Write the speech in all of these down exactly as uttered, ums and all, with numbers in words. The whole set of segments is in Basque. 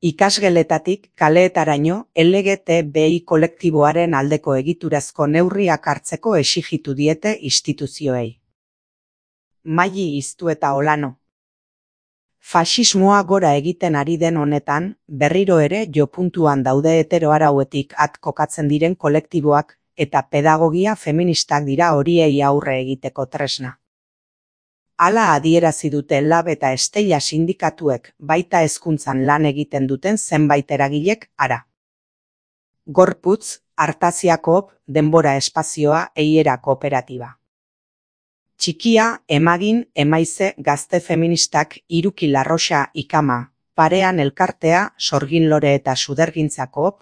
Ikasgeletatik kaleetaraino L G T B I kolektiboaren aldeko egiturazko neurriak hartzeko exijitu diete instituzioei. Maili Iztu eta Olano. Faxismoa gora egiten ari den honetan, berriro ere jopuntuan daude heteroarauetik at kokatzen diren kolektiboak eta pedagogia feministak dira horiei aurre egiteko tresna. Hala adierazi dute Lab eta Estella sindikatuek baita hezkuntzan lan egiten duten zenbait eragilek ara. Gorputz, Artasia Koop, Denbora Espazioa, Eiera Kooperatiba. Txikia, Emagin, Emaize, Gazte Feministak, Iruki Larroxa, Ikama, Parean Elkartea, Sorgin Lore eta Sudergintza Koop.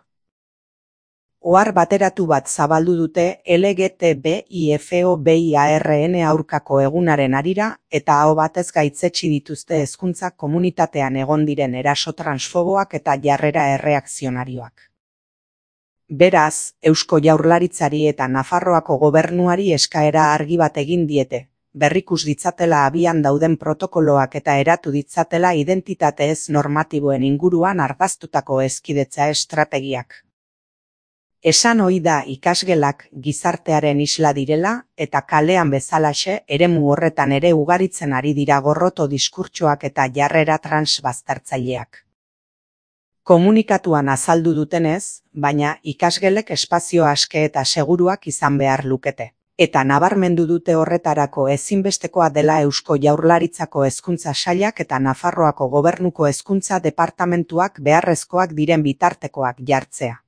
Ohar bateratu bat zabaldu dute L G T B I F O B I A R N aurkako egunaren harira eta aho batez gaitzetsi dituzte hezkuntza komunitatean egon diren eraso transfoboak eta jarrera erreakzionarioak. Beraz, Eusko Jaurlaritzari eta Nafarroako gobernuari eskaera argi bat egin diete, berrikus ditzatela abian dauden protokoloak eta eratu ditzatela identitate ez normatiboen inguruan ardaztutako hezkidetza estrategiak. Esan ohi da ikasgelak gizartearen isla direla eta kalean bezalaxe eremu horretan ere ugaritzen ari dira gorroto diskurtsoak eta jarrera transbaztertzaileak. Komunikatuan azaldu dutenez, baina ikasgelek espazio aske eta seguruak izan behar lukete. Eta nabarmendu dute horretarako ezinbestekoa dela Eusko Jaurlaritzako Hezkuntza Sailak eta Nafarroako Gobernuko Hezkuntza Departamentuak beharrezkoak diren bitartekoak jartzea.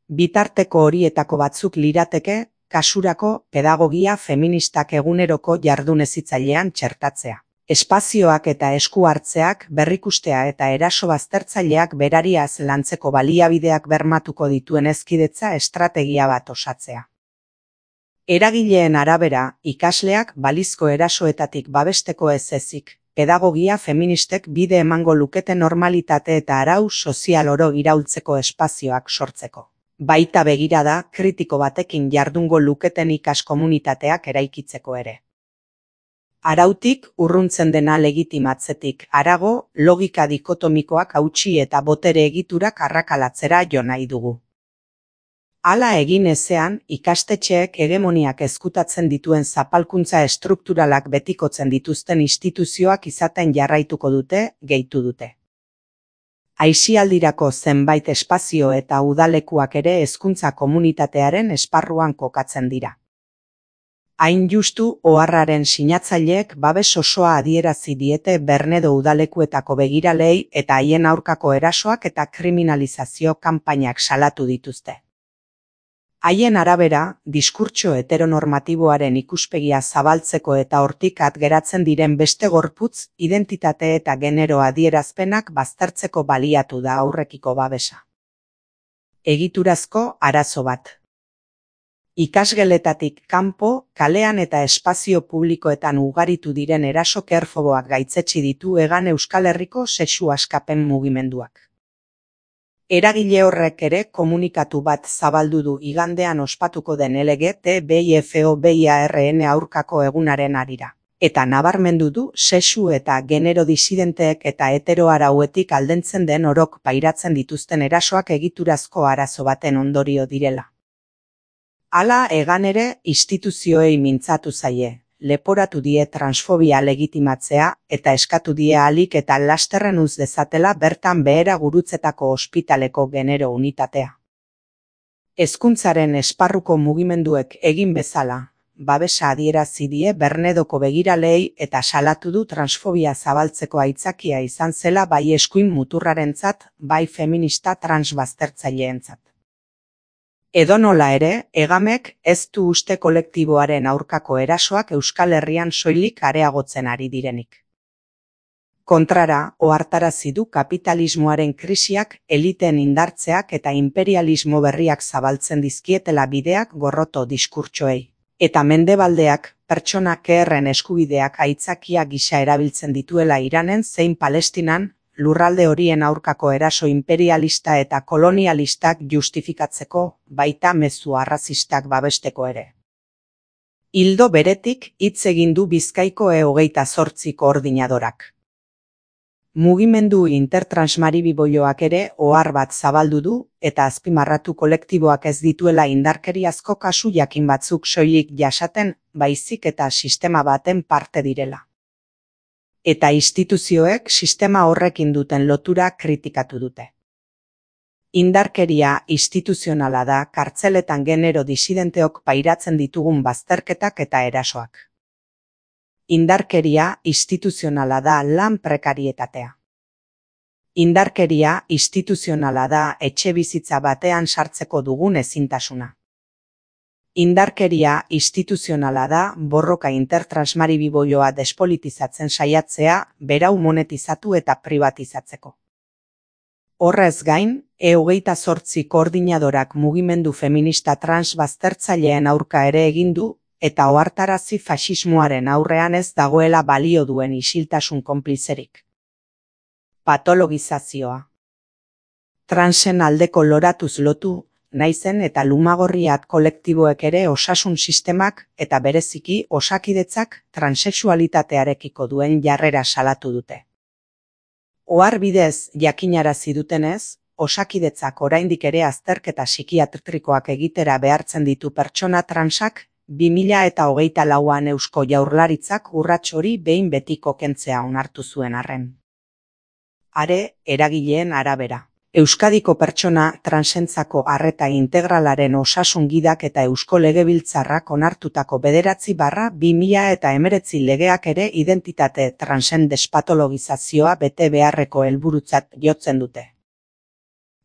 Bitarteko horietako batzuk lirateke, kasurako pedagogia feministak eguneroko jardun-hezitzailean txertatzea. Espazioak eta esku hartzeak berrikustea eta eraso baztertzaileak berariaz lantzeko baliabideak bermatuko dituen hezkidetza estrategia bat osatzea. Eragileen arabera, ikasleak balizko erasoetatik babesteko ez ezik, pedagogia feministek bide emango lukete normalitate eta arau sozial oro iraultzeko espazioak sortzeko. Baita begirada kritiko batekin jardungo luketen ikas komunitateak eraikitzeko ere. Arautik urruntzen dena legitimatzetik harago, logika dikotomikoak hautsi eta botere egiturak arrakalatzera jo nahi dugu. Hala egin ezean, ikastetxeek hegemoniak ezkutatzen dituen zapalkuntza estrukturalak betikotzen dituzten instituzioak izaten jarraituko dute, gehitu dute. Aisialdirako zenbait espazio eta udalekuak ere hezkuntza komunitatearen esparruan kokatzen dira. Hain justu, oharraren sinatzaileek babes osoa adierazi diete Bernedo udalekuetako begiralei eta haien aurkako erasoak eta kriminalizazio kanpainak salatu dituzte. Haien arabera, diskurtso heteronormatiboaren ikuspegia zabaltzeko eta hortik at geratzen diren beste gorputz, identitate eta genero adierazpenak baztertzeko baliatu da aurrekiko babesa. Egiturazko arazo bat. Ikasgeletatik kanpo, kalean eta espazio publikoetan ugaritu diren eraso kerfoboak gaitzetsi ditu Hegan Euskal Herriko sexu askapen mugimenduak. Eragile horrek ere komunikatu bat zabaldu du igandean ospatuko den L G T B I F O B I A R N aurkako egunaren harira. Eta nabarmendu du sexu eta genero disidenteek eta heteroarauetik aldentzen den orok pairatzen dituzten erasoak egiturazko arazo baten ondorio direla. Hala Hegan ere instituzioei mintzatu zaie, leporatu die transfobia legitimatzea eta eskatu die ahalik eta lasterren uz dezatela bertan behera gurutzetako ospitaleko genero unitatea. Hezkuntzaren esparruko mugimenduek egin bezala, babesa adierazi die Bernedoko begiralei eta salatu du transfobia zabaltzeko aitzakia izan zela bai eskuin muturrarentzat, bai feminista transbaztertzaileentzat. Edonola ere, Hegamek ez du uste kolektiboaren aurkako erasoak Euskal Herrian soilik areagotzen ari direnik. Kontrara, ohartarazi du kapitalismoaren krisiak, eliteen indartzeak eta imperialismo berriak zabaltzen dizkietela bideak gorroto diskurtsoei. Eta mendebaldeak, pertsona keherren eskubideak aitzakia gisa erabiltzen dituela Iranen zein Palestinan, lurralde horien aurkako eraso imperialista eta kolonialistak justifikatzeko, baita mezu arrazistak babesteko ere. Ildo beretik hitz egin du Bizkaiko E hogeita zortzi koordinadorak. Mugimendu intertransmaribiboioak ere ohar bat zabaldu du eta azpimarratu kolektiboak ez dituela indarkeriazko kasu jakin batzuk soilik jasaten, baizik eta sistema baten parte direla. Eta instituzioek sistema horrekin duten lotura kritikatu dute. Indarkeria instituzionala da kartzeletan genero disidenteok pairatzen ditugun bazterketak eta erasoak. Indarkeria instituzionala da lan prekarietatea. Indarkeria instituzionala da etxebizitza batean sartzeko dugun ezintasuna. Indarkeria instituzionala da borroka intertransmaribiboioa despolitizatzen saiatzea berau monetizatu eta privatizatzeko. Horrez gain, E hogeita zortzi koordinadorak mugimendu feminista trans baztertzaileen aurka ere egin du, eta ohartarazi faxismoaren aurrean ez dagoela balio duen isiltasun konplizerik. Patologizazioa. Transen aldeko loratuz lotu, naizen eta lumagorriat kolektiboek ere osasun sistemak eta bereziki osakidetzak transexualitatearekiko duen jarrera salatu dute. Ohar bidez jakinarazi dutenez, osakidetzak oraindik ere azterketa psikiatrikoak egitera behartzen ditu pertsona transak, bi mila eta hogeita lauan Eusko Jaurlaritzak urrats hori behin betiko kentzea onartu zuen arren. Are, eragileen arabera. Euskadiko pertsona transentzako arreta integralaren osasun gidak eta Eusko Legebiltzarrak onartutako bederatzi barra bi mila eta hemeretzi legeak ere identitate transen despatologizazioa bete beharreko helburutzat jotzen dute.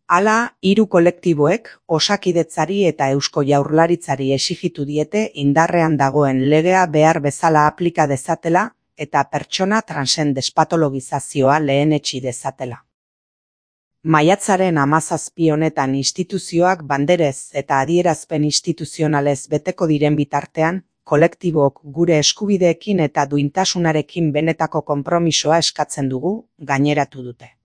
Hala, hiru kolektiboek osakidetzari eta Eusko Jaurlaritzari exigitu diete indarrean dagoen legea behar bezala aplika dezatela eta pertsona transen despatologizazioa lehenetsi dezatela. Maiatzaren hamazazpi honetan instituzioak banderez eta adierazpen instituzionalez beteko diren bitartean, kolektibok gure eskubideekin eta duintasunarekin benetako konpromisoa eskatzen dugu, gaineratu dute.